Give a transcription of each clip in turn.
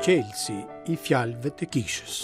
Çelësi i fjalëve të kishës.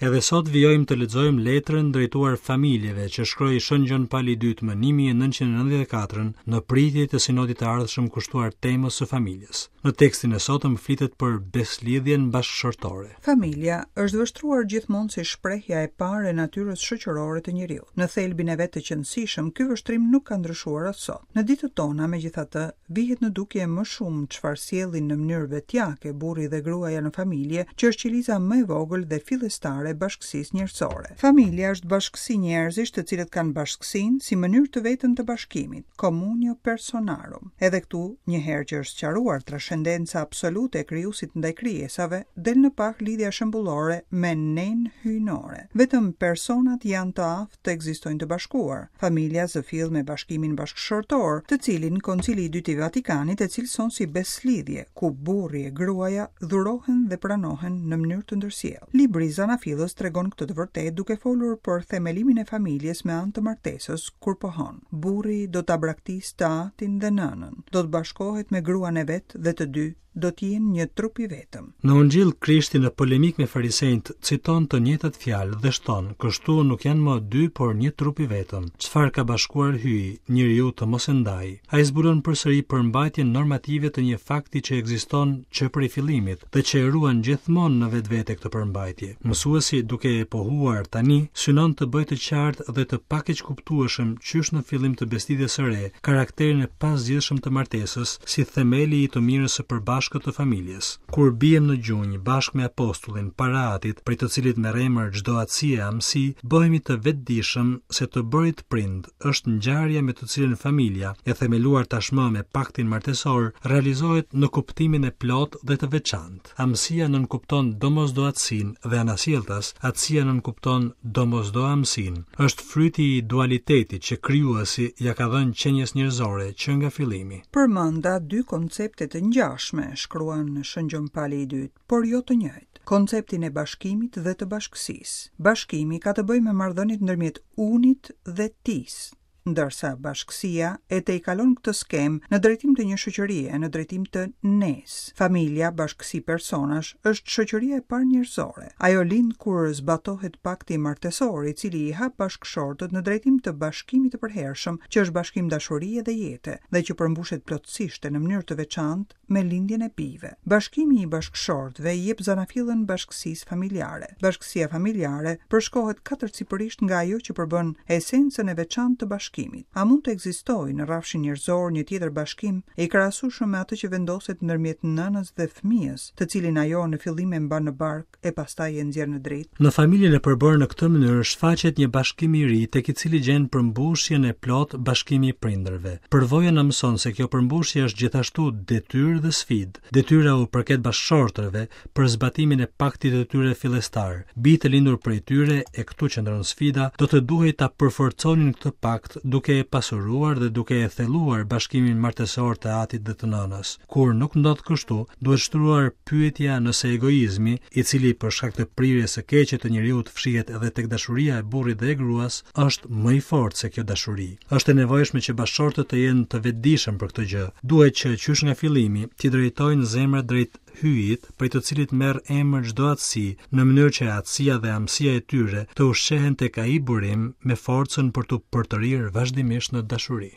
Edhe sot vijojmë të lexojmë letrën drejtuar familjeve që shkroi Shën Gjon Pali i Dytë më 1994 në pritje të sinodit të ardhshëm kushtuar temës së familjes. Në tekstin e sotëm flitet për beslidhjen bashkëshortore. Familja është vështruar gjithmonë si shprehja e parë e natyrës shoqërore të njeriut. Në thelbin e vet të qenësishëm, ky vështrim nuk ka ndryshuar as sot. Në ditët tona, megjithatë, vihet në dukje më shumë çfarë sjellin në mënyrë vetjake burri dhe gruaja në familje, që është qeliza më e vogël dhe fillestare e bashkësisë njerëzore. Familja është bashkësi njerëzish të cilët kanë bashkësinë si mënyrë të vetën të bashkimit, communio personarum. Edhe këtu, një herë që është sqaruar trashendenca absolute e Krijuesit ndaj krijesave, del në pah lidhja shembullore me Ne-në hyjnore. Vetëm personat janë të aftë të ekzistojnë të bashkuar. Familja zë fill me bashkimin bashkëshortor, të cilin Koncili i Dytë i Vatikanit e cilëson si besëlidhje, ku burri e gruaja dhurohen dhe pranohen në mënyrë të ndërsjellë. Libri i Zanafillës tregon këtë të vërtetë duke folur për themelimin e familjes me anë të martesës, kur pohon. Burri do ta braktisë të atin dhe nënën, do të bashkohet me gruan e vet dhe të dy do të jenë një trup i vetëm. Në Ungjill, Krishti në polemikë me farisenjtë citon të njëjtat fjalë dhe shton, kështu nuk janë më dy, por një trup i vetëm. Çfarë ka bashkuar Hyji, njeriu të mos e ndajë. Ai zbulon përsëri përmbajtjen normative të një fakti që ekziston që prej fillimit, dhe që e ruan gjithmonë në vetvete këtë përmbajtje. Mësuesi, duke e pohuar tani, synon të bëjë të qartë dhe të pakeqkuptueshëm qysh në fillim të beslidhjes së re, karakterin e pazgjidhshëm të martesës si themeli i të mirës së përbashkët të familjes. Kur biem në gjunjë bashkë me apostullin para Atit, prej të cilit merr emër çdo atësi e amësi, bëhemi të vetëdijshëm se të bërit prind është ngjarja me të cilën familja, e themeluar tashmë me paktin martesor, realizohet në kuptimin e plotë dhe të veçantë. Amësia nënkupton domosdo atësinë dhe anasjelltas, atësia nënkupton domosdo amësinë. Është fryti i dualitetit që Krijuesi ia ka dhënë qenies njerëzore që nga fillimi. Përmenda dy koncepte të ngjashme, shkruan Shën Gjon Pali i Dytë. por jo të njëjtë, konceptin e bashkimit dhe të bashkësisë. Bashkimi ka të bëjë me marrëdhëniet ndërmjet unit dhe tisë, ndërsa bashkësia e tejkalon këtë skemë në drejtim të një shoqërie, në drejtim të nesë. Familja, bashkësi personash, është shoqëria e parë njerëzore. Ajo lind kur zbatohet pakti martesor, i cili i hap bashkëshortët në drejtim të bashkimit të përhershëm, që është bashkim dashurie dhe jete, dhe që përmbushet plotësisht e në mënyrë të veçantë me lindjen e bijve. Bashkimi i bashkëshortëve i jep zanafillën bashkësisë familjare. Bashkësia familjare përshkohet katërcipërisht nga ajo që përbën esencën e veçantë të bashkimit. A mund të ekzistojë në rrafshin njerëzor një tjetër bashkim i krahasueshëm me atë që vendoset ndërmjet nënës dhe fëmijës, të cilin ajo në fillim e mban në bark e pastaj e nxjerr në dritë. Në familjen e përbërë në këtë mënyrë shfaqet një bashkim i ri tek i cili gjen përmbushjen e plotë bashkimi i prindërve. Përvoja na mëson se kjo përmbushje është gjithashtu detyrë dhe sfidë. Detyra u përket bashkëshortëve për zbatimin e paktit të tyre fillestar. Bijtë e lindur prej tyre, e këtu qëndron sfida, do të duhej ta përforconin këtë pakt duke e pasuruar dhe duke e thelluar bashkimin martesor të atit dhe të nënës. Kur nuk ndodh kështu, duhet shtruar pyetja nëse egoizmi, i cili për shkak të prirjes së keqe të njeriut fshihet edhe tek dashuria e burrit dhe e gruas, është më i fortë se kjo dashuri. Është e nevojshme që bashkëshortët të jenë të vetëdijshëm për këtë gjë. Duhet që qysh nga fillimi t'i drejtojnë zemrat drejt Hyjit, prej të cilit merr emër çdo atësi, në mënyrë që atësia dhe amësia e tyre të ushqehen tek ai burim me forcën për t'u përtërirë vazhdimisht në dashuri.